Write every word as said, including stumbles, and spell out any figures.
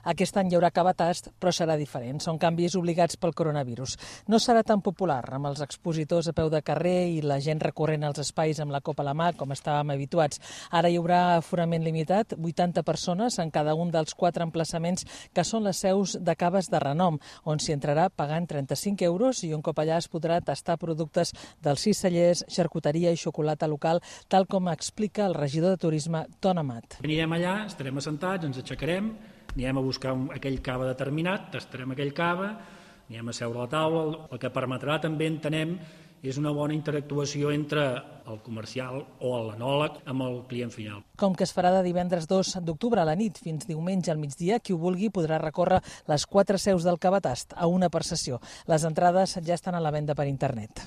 Aquest any hi haurà cava tast, però serà diferent. Són canvis obligats pel coronavirus. No serà tan popular, amb els expositors a peu de carrer i la gent recorrent als espais amb la copa a la mà, com estàvem habituats. Ara hi haurà aforament limitat, vuitanta persones en cada un dels quatre emplaçaments que són les seus de caves de renom, on s'hi entrarà pagant trenta-cinc euros i un cop allà es podrà tastar productes dels sis cellers, xarcuteria i xocolata local, tal com explica el regidor de Turisme, Ton Amat. Anirem allà, estarem assentats, ens aixecarem, anirem a buscar un, aquell cava determinat, tastarem aquell cava, anirem a seure a la taula. El que permetrà també, entenem, és una bona interactuació entre el comercial o l'enòleg amb el client final. Com que es farà de divendres dos d'octubre a la nit fins diumenge al migdia, qui ho vulgui podrà recórrer les quatre seus del cavatast a una per sessió. Les entrades ja estan a la venda per internet.